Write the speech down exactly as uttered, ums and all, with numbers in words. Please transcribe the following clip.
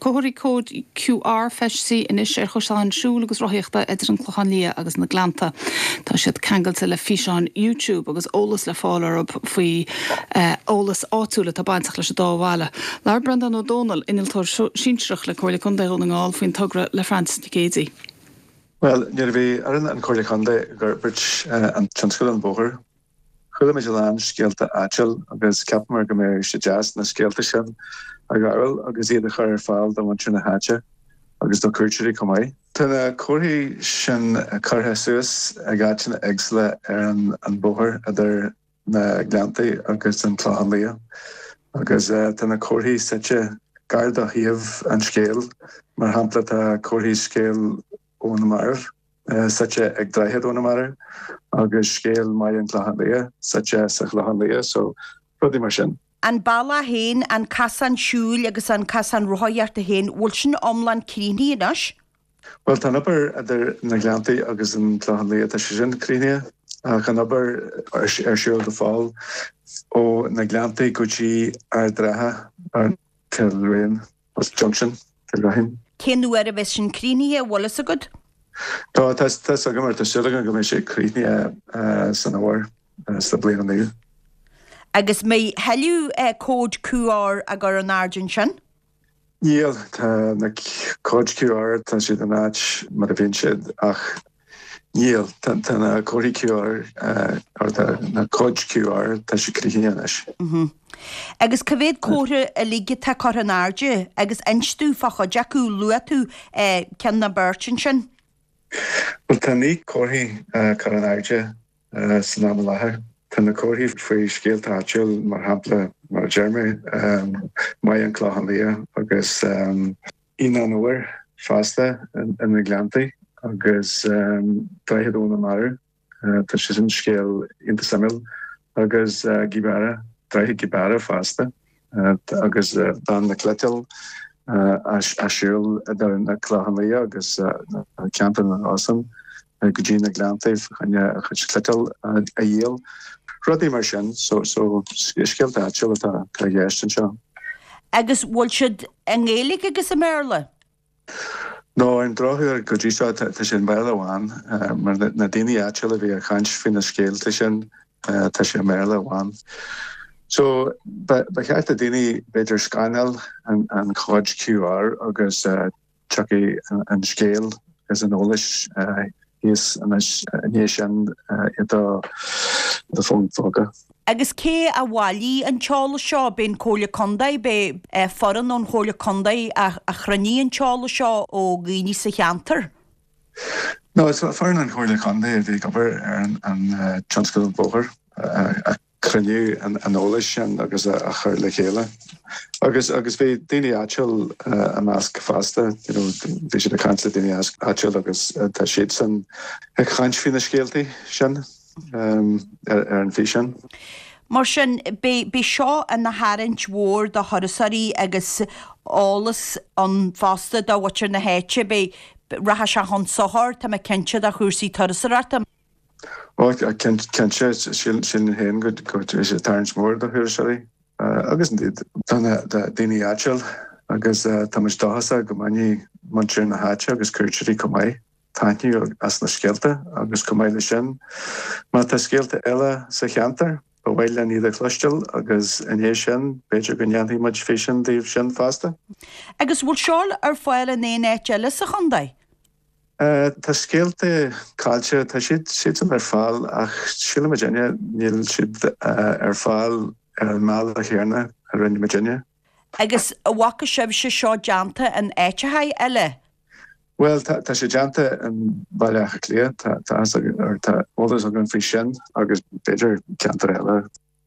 comharthaí cód QR feistithe anois ar chosáin siúil agus rothaíochta idir an Clochán Liath agus na Gleannta. Tá siad ceangailte le físeán YouTube agus eolas le fáil orthu faoi eh, eolas áitiúil atá bainteach leis an dá bhaile. Labhair Breandán Ó Dónaill innealtóir sinsearach le Comhairle Contae Dhún na nGall faoin togra le Francis Nic Géadaigh. Well, nuair a bhí ar an Chomhairle Contae ag obair an tionscadal an bóthar. Chuala muid a lán scéalta áitiúil agus cheapamar go mbeadh sé deas na scéalta sin a ghabháil agus iad a chur ar fáil do mhuintir na háite agus do chuairteoirí chomh maith. Tá na comharthaí sin curtha suas ag áiteanna éagsúla ar an an bóthar idir na Gleanntaí agus an Clochán Liath. agus uh, tá na comharthaí suite gar do thaobh an scéil mar shampla tá comharthaí scéal ó na marbh uh, suite ag Droichead ó na Marbh agus scéal Mhaigh an Chlocháin Liath suite sa Chlochán Liath so rudaí mar sin. An bealach féin an casán siúil agus an casán rothaíochta féin bhfuil sin iomlán críochnaithe anois? Well tá obair idir na Gleanntaí agus an Clochán Liath tá sé sin críochnaithe ach an obair ar siúl go fóill ó na Gleanntaí go dtí Ard an Rátha ar Kilrain Junction Kilrain. Cén uair a bheas sin críochnaithe bhfuil fhios agat? Tá tá go mar tá súil go mbeidh sé críochnaithe san fhómhar sa bliain nua. Agus mbeidh tuilleadh cód QR á gcur in airde ansin? Níl tá na cóid QR tá siad in áit mar a bhíonn siad ach níl tá na comharthaí QR ar na cóid QR tá sé críochnaithe anois. Mhm. Agus cá mhéad comhartha uilig atá curtha in airde agus inis dúinn fá chuid acu luaigh tú ceann na beirt ansin. Well tá naoi comharthaí curtha in airde san am i láthair. Tá na comharthaí faoi scéalta áitiúil mar shampla mar a deir mé Maigh an Clochán Liath agus Aoine an Fhómhair fosta in na Gleanntaí agus Droichead ó na Marbh Tá sé sin scéal iontach suimiúil agus Gibara Droichead Gibara fosta agus bean na cniotála a siúil idir na Clochán Liath agus ceantar na Rosann go dtí na Gleanntaí chun a chuid cniotáil a dhíol. Rudaí mar sin so so scéalta áitiúil atá i gceist anseo. Agus bhfuil siad i nGaeilge agus i mBéarla? No an drochuair go dtí seo tá sé i mBéarla amháin mar na daoine áitiúil a bhí ag caint faoi na scéalta sin tá sé i mBéarla amháin. So ba cheart do daoine b'fhéidir scanáil an an chód QR agus uh, tiocfaidh an scéal agus an eolas thíos anois ní sin i do do fón póca. Agus cé a bhailigh an t-eolas seo b'in Comhairle Contae b'é foireann ón Chomhairle Contae a chruinnigh an t-eolas seo ó dhaoine sa cheantar. No is foireann an Chomhairle Contae a bhí ag obair ar an an tionscadal bóthar a chruinniú an eolas sin agus a chur le chéile. Agus agus bhí daoine áitiúil i measc fosta bhí siad ag caint le daoine áitiúil agus tá siad san ag caint faoi na scéaltaí sin ar ar an bhfíseán. Mar sin b'é seo ina tharraingt mhór do thurasóirí agus eolas ann fosta do mhuintir na háite b'é rachaidh sé chun sochair tá mé cinnte do chúrsaí turasóireachta. Ó cinnte sin féin go go sé tarraingt mór do thurasóirí agus tá daoine áitiúil agus tá muid dóchasach go mbainfidh muintir na háite agus cuairteoirí chomh maith taitneamh as na scéalta agus chomh maith leis sin. Má tá scéalta eile sa cheantar ba mhaith linn iad a chloisteáil agus inné sin b'fhéidir go ndéanfaidh muid físeán díobh sin fosta. Agus bhfuil seo ar fáil in aon áit eile sa chontae? Uh, tá scéalta caillte tá siad siad ar fáil ach sílim muidinne níl siad uh, ar fáil ar an mbealach céanna a rinne muidinne. Agus an bhfaca sibhse seo déanta in áiteacha eile? Well tá tá sé déanta in Baile Átha Cliath tá tá tá eolas againn faoi sin agus b'fhéidir ceantar eile.